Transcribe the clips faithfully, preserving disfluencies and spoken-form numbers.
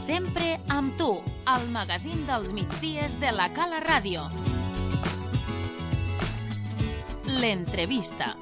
Sempre amb tu, al magazín dels migdies de la Cala Ràdio. L'entrevista.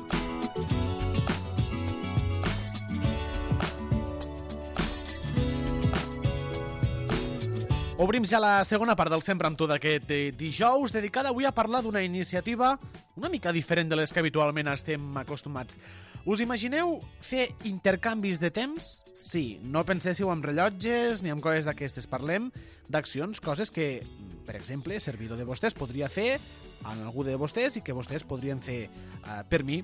Obrim ja la segona part del Sempre amb tu d'aquest dijous, dedicada avui a parlar d'una iniciativa una mica diferent de les que habitualment estem acostumats. Us imagineu fer intercanvis de temps? Sí, no penséssiu en rellotges ni en coses d'aquestes. Parlem d'accions, coses que, per exemple, servidor de vostès podria fer en algú de vostès i que vostès podrien fer uh, per mi.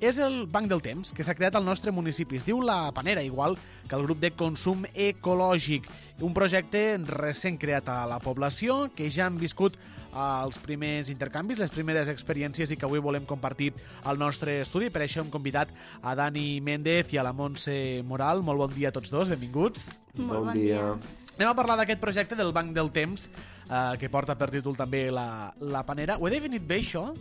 És el Banc del Temps, que s'ha creat al nostre municipi. Es diu La Panera, igual que el grup de consum ecològic. Un projecte recent creat a la població, que ja han viscut els primers intercanvis, les primeres experiències i que avui volem compartir al nostre estudi. Per això hem convidat a Dani Méndez i a la Montse Moral. Molt bon dia a tots dos, benvinguts. Molt bon dia. Anem a parlar d'aquest projecte del Banc del Temps, eh, que porta per títol també la, la Panera. Ho he definit bé, això?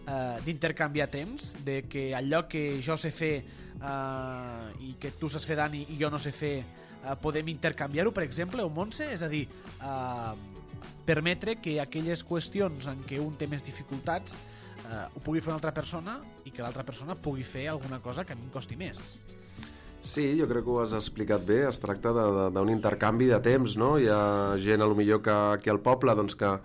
Uh, d'intercanviar temps, de que allò que jo sé fer uh, i que tu saps fer, Dani, i jo no sé fer, uh, podem intercanviar-ho, per exemple, o Montse? És a dir, uh, permetre que aquelles qüestions en què un té més dificultats uh, ho pugui fer una altra persona i que l'altra persona pugui fer alguna cosa que a mi em costi més. Sí, jo crec que ho has explicat bé. Es tracta d'un intercanvi de temps, no? Hi ha gent, a lo millor, que aquí al poble, doncs, que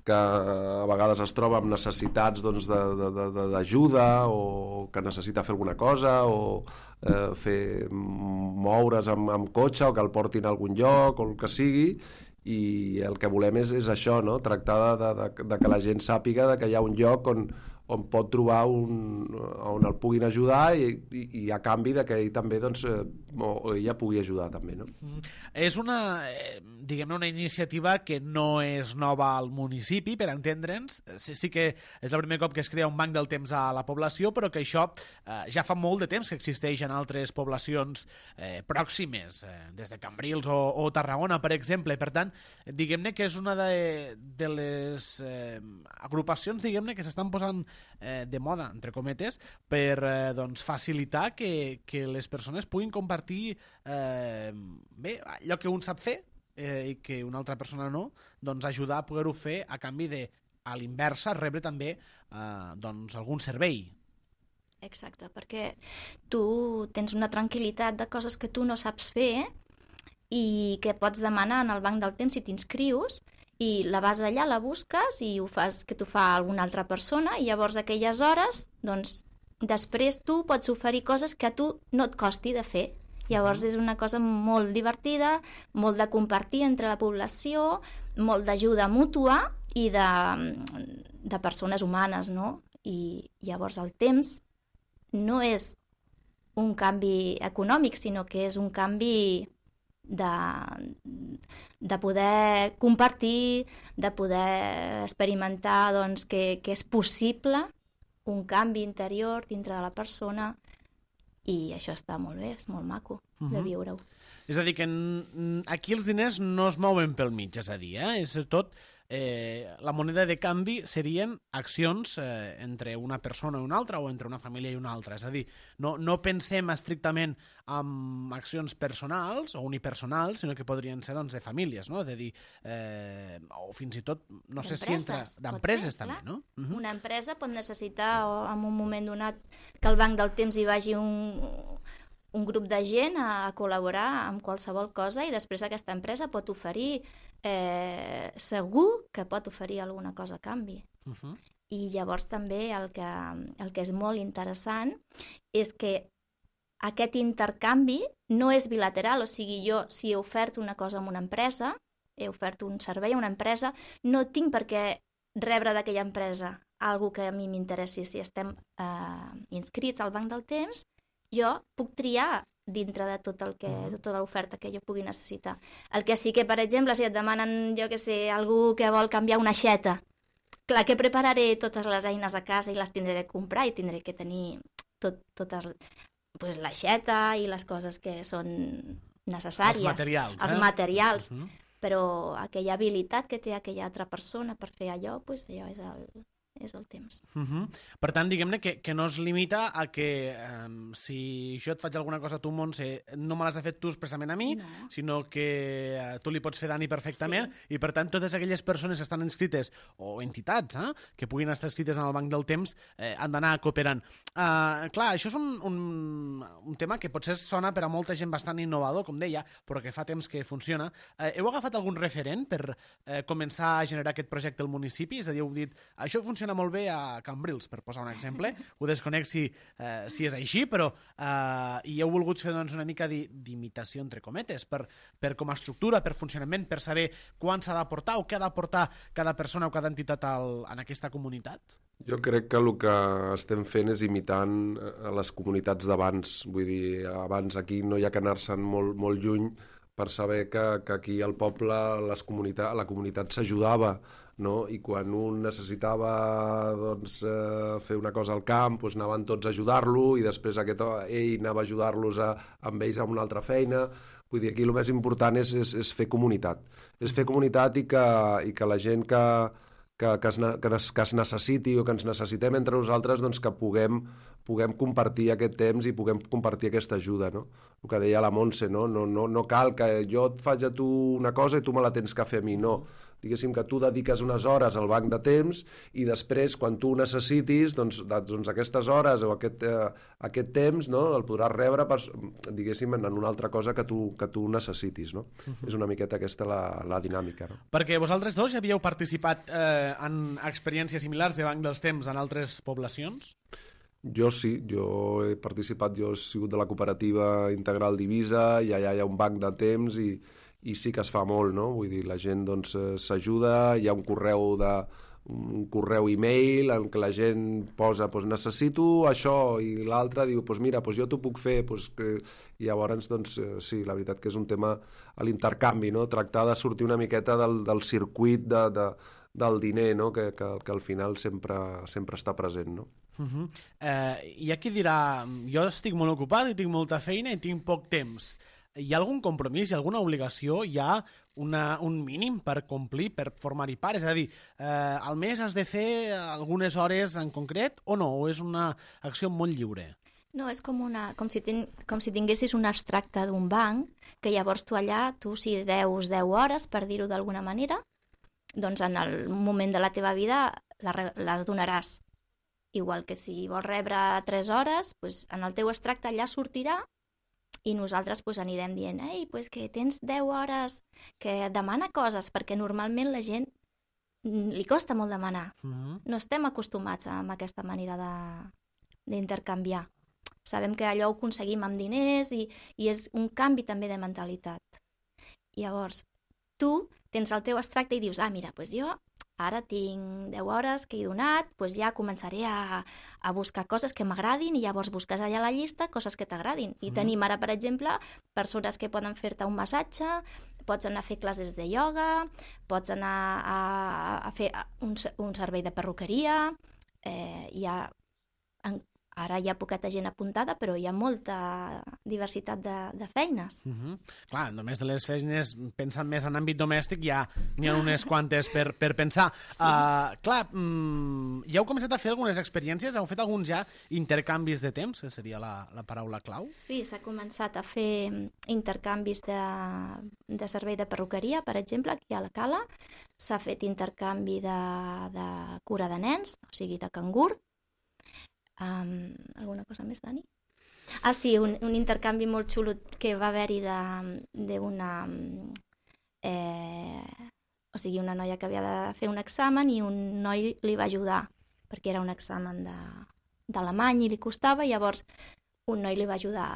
que a vegades es troba amb necessitats doncs, d'ajuda o que necessita fer alguna cosa o eh, fer moure's amb, amb cotxe o que el portin a algun lloc o el que sigui, i el que volem és, és això, no? Tractar de, de, de que la gent sàpiga de que hi ha un lloc on, on pot trobar un, on el puguin ajudar i, i, i a canvi de que ell també doncs, eh, o ella pugui ajudar també, no? Mm. És una, eh, diguem-ne, una iniciativa que no és nova al municipi, per entendre'ns. Sí, sí que és el primer cop que es crea un banc del temps a la població, però que això eh, ja fa molt de temps que existeix en altres poblacions eh, pròximes, eh, des de Cambrils o, o Tarragona, per exemple. Per tant, diguem-ne que és una de, de les eh, agrupacions, diguem-ne, que s'estan posant eh, de moda, entre cometes, per eh, doncs, facilitar que, que les persones puguin compartir eh, bé, allò que un sap fer eh, i que una altra persona no, doncs ajudar a poder-ho fer a canvi de, a l'inversa, rebre també eh, doncs, algun servei. Exacte, perquè tu tens una tranquil·litat de coses que tu no saps fer i que pots demanar en el banc del temps si t'inscrius, i la vas allà, la busques i ho fas que t'ho fa alguna altra persona, i llavors aquelles hores, doncs, després tu pots oferir coses que a tu no et costi de fer. Llavors és una cosa molt divertida, molt de compartir entre la població, molt d'ajuda mútua i de, de persones humanes, no? I llavors el temps no és un canvi econòmic, sinó que és un canvi de, de poder compartir, de poder experimentar doncs, que, que és possible un canvi interior dintre de la persona, i això està molt bé, és molt maco uh-huh. de viure-ho. És a dir, que aquí els diners no es mouen pel mig, és a dir, eh? És tot, eh, la moneda de canvi serien accions eh, entre una persona i una altra o entre una família i una altra. És a dir, no, no pensem estrictament en accions personals o unipersonals, sinó que podrien ser doncs, de famílies, no? És a dir, eh, o fins i tot, no sé si entra d'empreses també, no? Uh-huh. Una empresa pot necessitar en un moment donat que el banc del temps hi vagi un... un grup de gent a, a col·laborar amb qualsevol cosa, i després aquesta empresa pot oferir, eh, segur que pot oferir alguna cosa a canvi. Uh-huh. I llavors també el que, el que és molt interessant és que aquest intercanvi no és bilateral, o sigui, jo si he ofert una cosa a una empresa, he ofert un servei a una empresa, no tinc per què rebre d'aquella empresa algo que a mi m'interessi. Si estem eh, inscrits al banc del temps, jo puc triar dintre de tot el que, de tota l'oferta que jo pugui necessitar. El que sí que, per exemple, si et demanen, jo que sé, algú que vol canviar una aixeta, clar que prepararé totes les eines a casa i les tindré de comprar i tindré que tenir tot, totes, pues, l'aixeta i les coses que són necessàries. Els materials. Els eh? materials. Uh-huh. Però aquella habilitat que té aquella altra persona per fer allò, pues, allò és el, és el temps. Uh -huh. Per tant, diguem-ne que, que no es limita a que um, si jo et faig alguna cosa a tu, Montse, no me l'has fet tu expressament a mi, no. sinó que uh, tu li pots fer Dani perfectament, sí. i per tant totes aquelles persones que estan inscrites, o entitats, eh, que puguin estar inscrites en el Banc del Temps, eh, han d'anar cooperant. Uh, clar, això és un, un, un tema que potser sona per a molta gent bastant innovador, com deia, però que fa temps que funciona. Uh, heu agafat algun referent per uh, començar a generar aquest projecte al municipi? És a dir, heu dit, això funciona molt bé a Cambrils, per posar un exemple. Ho desconec si, eh, si és així, però eh, i heu volgut fer doncs, una mica d'imitació, entre cometes, per, per com a estructura, per funcionament, per saber quan s'ha d'aportar o què ha d'aportar cada persona o cada entitat al, en aquesta comunitat? Jo crec que el que estem fent és imitant a les comunitats d'abans. Vull dir, abans aquí no hi ha que anar-se'n molt, molt lluny per saber que, que aquí al poble les comunitat, la comunitat s'ajudava, no? I quan un necessitava doncs, eh, fer una cosa al camp, doncs anaven tots a ajudar-lo, i després aquest, ell anava a ajudar-los a, amb ells a una altra feina. Vull dir, aquí el més important és, és, és fer comunitat. És fer comunitat i que, i que la gent que, que, que, es, que, es, que es necessiti o que ens necessitem entre nosaltres, doncs que puguem, puguem compartir aquest temps i puguem compartir aquesta ajuda, no? El que deia la Montse, no? No, no, no cal que jo et faig a tu una cosa i tu me la tens que fer a mi, no. Diguéssim que tu dediques unes hores al banc de temps i després, quan tu ho necessitis, doncs, doncs aquestes hores o aquest, eh, aquest temps, no, el podràs rebre per, diguéssim, en una altra cosa que tu, que tu necessitis, no? Uh-huh. És una miqueta aquesta la, la dinàmica, no? Perquè vosaltres dos ja havíeu participat eh, en experiències similars de Banc dels Temps en altres poblacions? Jo sí, jo he participat, jo he sigut de la cooperativa Integral d'Eivissa i allà hi ha un banc de temps i, i sí que es fa molt, no? Vull dir, la gent doncs s'ajuda, hi ha un correu de un correu e-mail en què la gent posa doncs, necessito això, i l'altre diu doncs mira, doncs jo t'ho puc fer, doncs, que... i llavors doncs, sí, la veritat que és un tema a l'intercanvi, no? Tractar de sortir una miqueta del, del circuit de, de, del diner, no? que, que, que al final sempre, sempre està present, no? Uh-huh. eh, hi ha qui dirà, jo estic molt ocupat i tinc molta feina i tinc poc temps. Hi ha algun compromís, hi ha alguna obligació, hi ha una, un mínim per complir, per formar-hi part? És a dir, eh, al mes has de fer algunes hores en concret o no? O és una acció molt lliure? No, és com, una, com, si, ten, com si tinguessis un abstracte d'un banc, que llavors tu allà, tu si deus deu hores, per dir-ho d'alguna manera, doncs en el moment de la teva vida les donaràs. Igual que si vols rebre tres hores, doncs en el teu extracte allà sortirà i nosaltres pues, anirem dient ei, pues que tens deu hores, que demana coses, perquè normalment la gent li costa molt demanar. Uh-huh. No estem acostumats a, a aquesta manera d'intercanviar. Sabem que allò ho aconseguim amb diners i, i és un canvi també de mentalitat. Llavors, tu tens el teu extracte i dius, ah, mira, pues jo ara tinc deu hores que he donat, doncs ja començaré a, a buscar coses que m'agradin i llavors busques allà a la llista coses que t'agradin. I mm. tenim ara, per exemple, persones que poden fer-te un massatge, pots anar a fer classes de ioga, pots anar a, a fer un, un servei de perruqueria, eh, hi ha... En, ara hi ha poqueta gent apuntada, però hi ha molta diversitat de, de feines. Uh-huh. Clar, només de les feines, pensant més en àmbit domèstic, ja n'hi ha unes quantes per, per pensar. Sí. Uh, clar, mm, ja heu començat a fer algunes experiències? Heu fet alguns ja intercanvis de temps, que seria la, la paraula clau? Sí, s'ha començat a fer intercanvis de, de servei de perruqueria, per exemple, aquí a la Cala. S'ha fet intercanvi de, de cura de nens, o sigui, de cangur. Um, alguna cosa més, Dani? Ah, sí, un, un intercanvi molt xulo que va haver-hi d'una... Eh, o sigui, una noia que havia de fer un examen i un noi li va ajudar, perquè era un examen d'alemany i li costava, i llavors un noi li va ajudar.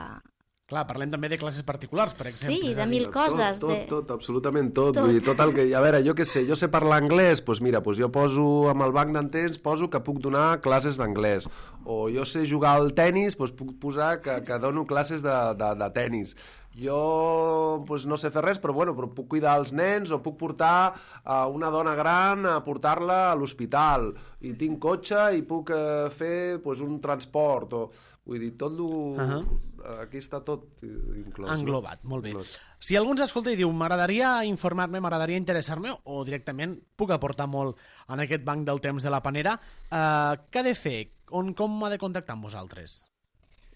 Clar, parlem també de classes particulars, per exemple. Sí, de mil coses. Tot, tot, tot, absolutament tot. tot. Vull dir, tot el que... A veure, jo què sé, jo sé parlar anglès, doncs mira, doncs jo poso amb el banc d'entens, poso que puc donar classes d'anglès. O jo sé jugar al tennis, doncs puc posar que, que dono classes de, de, de tennis. jo pues, no sé fer res, però, bueno, però puc cuidar els nens o puc portar a una dona gran a portar-la a l'hospital i tinc cotxe i puc eh, fer pues, un transport o... Vull dir, tot lo... Uh-huh. Aquí està tot inclòs. Englobat, no? molt bé. Inclòs. Si algú ens escolta i diu m'agradaria informar-me, m'agradaria interessar-me o directament puc aportar molt en aquest banc del temps de la Panera, eh, què ha de fer? On, com ha de contactar amb vosaltres?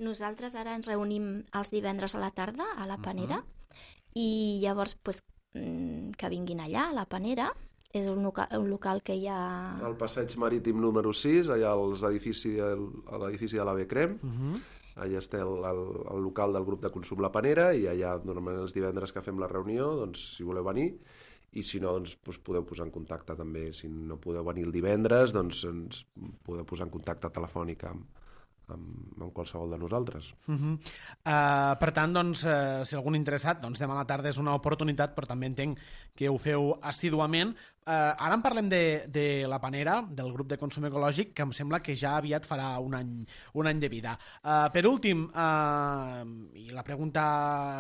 Nosaltres ara ens reunim els divendres a la tarda a la Panera uh-huh. i llavors pues, que vinguin allà a la Panera. És un local, un local que hi ha... Al passeig marítim número sis, allà als edifici, a l'edifici de l'A V Crem. Uh-huh. Allà està el, el, el local del grup de consum La Panera i allà, normalment els divendres que fem la reunió, doncs, si voleu venir, i si no, doncs, doncs podeu posar en contacte també. Si no podeu venir el divendres, doncs ens podeu posar en contacte telefònic amb, amb, amb qualsevol de nosaltres. Uh-huh. uh, per tant, doncs, uh, si algun interessat, doncs demà a la tarda és una oportunitat, però també entenc que ho feu assíduament. Uh, ara en parlem de, de la Panera, del grup de consum ecològic, que em sembla que ja aviat farà un any, un any de vida. Uh, per últim, uh, i la pregunta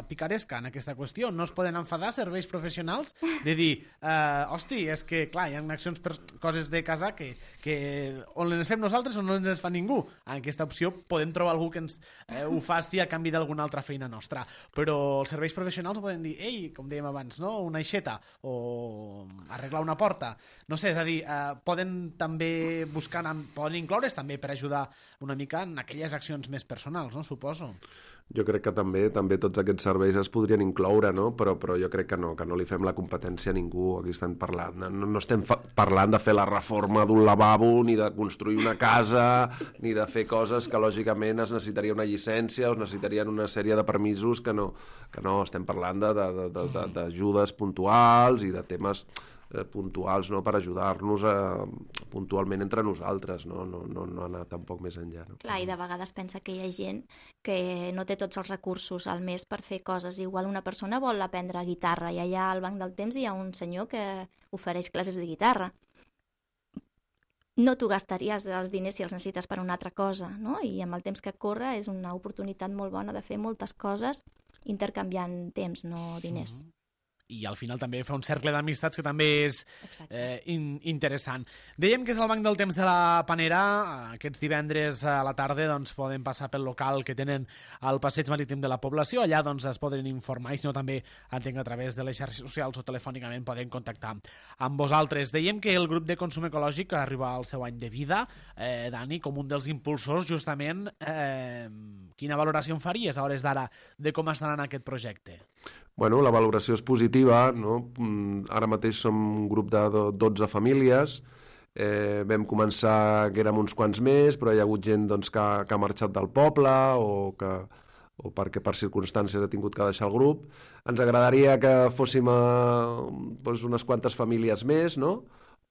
picaresca en aquesta qüestió, no es poden enfadar serveis professionals de dir, uh, hosti, és que, clar, hi ha accions per coses de casa que, que on les fem nosaltres o no ens les fa ningú. En aquesta opció podem trobar algú que ens eh, ho faci a canvi d'alguna altra feina nostra. Però els serveis professionals poden dir, ei, com dèiem abans, no? Una aixeta o arreglar una porta, no sé, és a dir, eh, poden també buscar, poden incloure's també per ajudar una mica en aquelles accions més personals, no? Suposo. Jo crec que també també tots aquests serveis es podrien incloure, no? Però, però jo crec que no, que no li fem la competència a ningú. Aquí estem parlant, no, no estem fa parlant de fer la reforma d'un lavabo, ni de construir una casa, ni de fer coses que lògicament es necessitaria una llicència o es necessitarien una sèrie de permisos que no, que no estem parlant d'ajudes puntuals i de temes eh, puntuals, no? Per ajudar-nos eh, puntualment entre nosaltres, no? No, no, no anar tampoc més enllà. No? Clar, i de vegades pensa que hi ha gent que no té tots els recursos al mes per fer coses. Igual una persona vol aprendre guitarra i allà al banc del temps hi ha un senyor que ofereix classes de guitarra. No t'ho gastaries els diners si els necessites per una altra cosa, no? I amb el temps que corre és una oportunitat molt bona de fer moltes coses intercanviant temps, no diners. Mm-hmm. I al final també fa un cercle d'amistats que també és eh, in interessant. Dèiem que és el banc del temps de la Panera. Aquests divendres a la tarda doncs, poden passar pel local que tenen al passeig marítim de la població. Allà doncs, es poden informar, i si no també entenc a través de les xarxes socials o telefònicament poden contactar amb vosaltres. Dèiem que el grup de consum ecològic arriba al seu any de vida. Eh, Dani, com un dels impulsors, justament, eh, quina valoració en faries a hores d'ara de com estarà en aquest projecte? Bueno, la valoració és positiva, no? Ara mateix som un grup de dotze famílies, eh, vam començar que érem uns quants més, però hi ha hagut gent doncs, que, que ha marxat del poble o, que, o perquè per circumstàncies ha tingut que deixar el grup. Ens agradaria que fóssim a, doncs, unes quantes famílies més, no?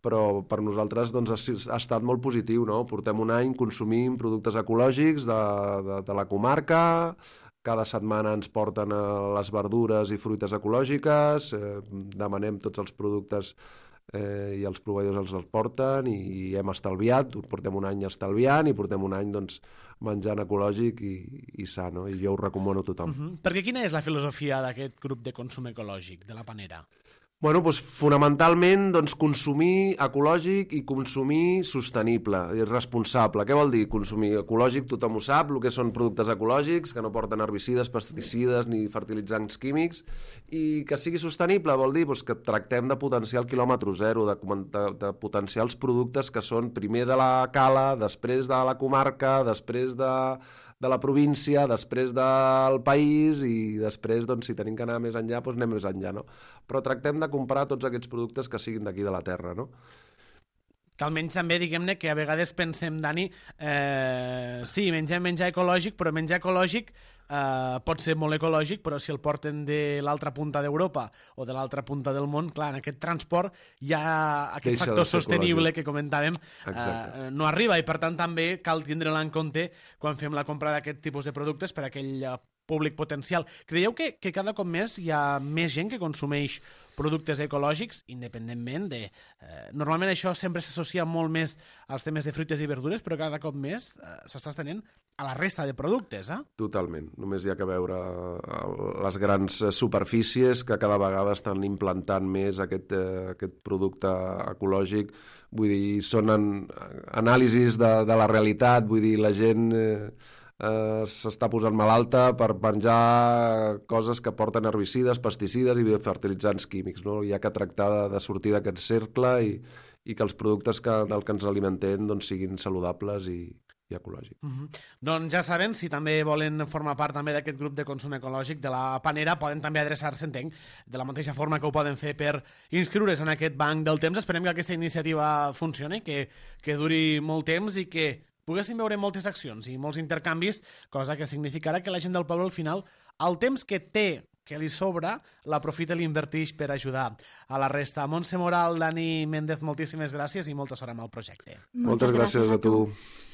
Però per nosaltres doncs, ha, ha estat molt positiu, no? Portem un any consumint productes ecològics de, de, de la comarca. Cada setmana ens porten les verdures i fruites ecològiques, eh, demanem tots els productes eh, i els proveïdors els, els porten i hem estalviat, portem un any estalviant i portem un any doncs, menjant ecològic i, i sa, no? I jo ho recomano a tothom. Uh-huh. Perquè quina és la filosofia d'aquest grup de consum ecològic, de la Panera? Bueno, doncs, fonamentalment, doncs, consumir ecològic i consumir sostenible i responsable. Què vol dir consumir ecològic? Tothom ho sap, el que són productes ecològics, que no porten herbicides, pesticides ni fertilitzants químics, i que sigui sostenible vol dir doncs, que tractem de potenciar el quilòmetre zero, de, de, de potenciar els productes que són primer de la cala, després de la comarca, després de... de la província, després del país i després, doncs, si tenim que anar més enllà, doncs anem més enllà, no? Però tractem de comprar tots aquests productes que siguin d'aquí de la terra, no? Que almenys també, diguem-ne, que a vegades pensem, Dani, eh, sí, mengem menjar ecològic, però menjar ecològic eh, pot ser molt ecològic, però si el porten de l'altra punta d'Europa o de l'altra punta del món, clar, en aquest transport hi ha aquest Deixa factor sostenible que comentàvem, eh, no arriba, i per tant també cal tindre-la en compte quan fem la compra d'aquest tipus de productes per aquell públic potencial. Creieu que, que cada cop més hi ha més gent que consumeix productes ecològics, independentment de... Eh, normalment això sempre s'associa molt més als temes de fruites i verdures, però cada cop més eh, s'està estenent a la resta de productes, eh? Totalment. Només hi ha que veure les grans superfícies que cada vegada estan implantant més aquest, eh, aquest producte ecològic. Vull dir, són en, anàlisis de, de la realitat, vull dir, la gent... Eh, Uh, s'està posant malalta per menjar coses que porten herbicides, pesticides i fertilitzants químics, no? Hi ha que tractar de, de sortir d'aquest cercle i, i que els productes que, del que ens alimentem doncs, siguin saludables i, i ecològics. Mm-hmm. Doncs ja saben, si també volen formar part també d'aquest grup de consum ecològic de la Panera, poden també adreçar-se, entenc, de la mateixa forma que ho poden fer per inscriure's en aquest banc del temps. Esperem que aquesta iniciativa funcioni, que, que duri molt temps i que poguéssim veure moltes accions i molts intercanvis, cosa que significarà que la gent del poble al final, el temps que té, que li sobra, l'aprofita i l'inverteix per ajudar a la resta. Montse Moral, Dani Méndez, moltíssimes gràcies i molta sort amb el projecte. Moltes, Moltes gràcies, gràcies a tu. A tu.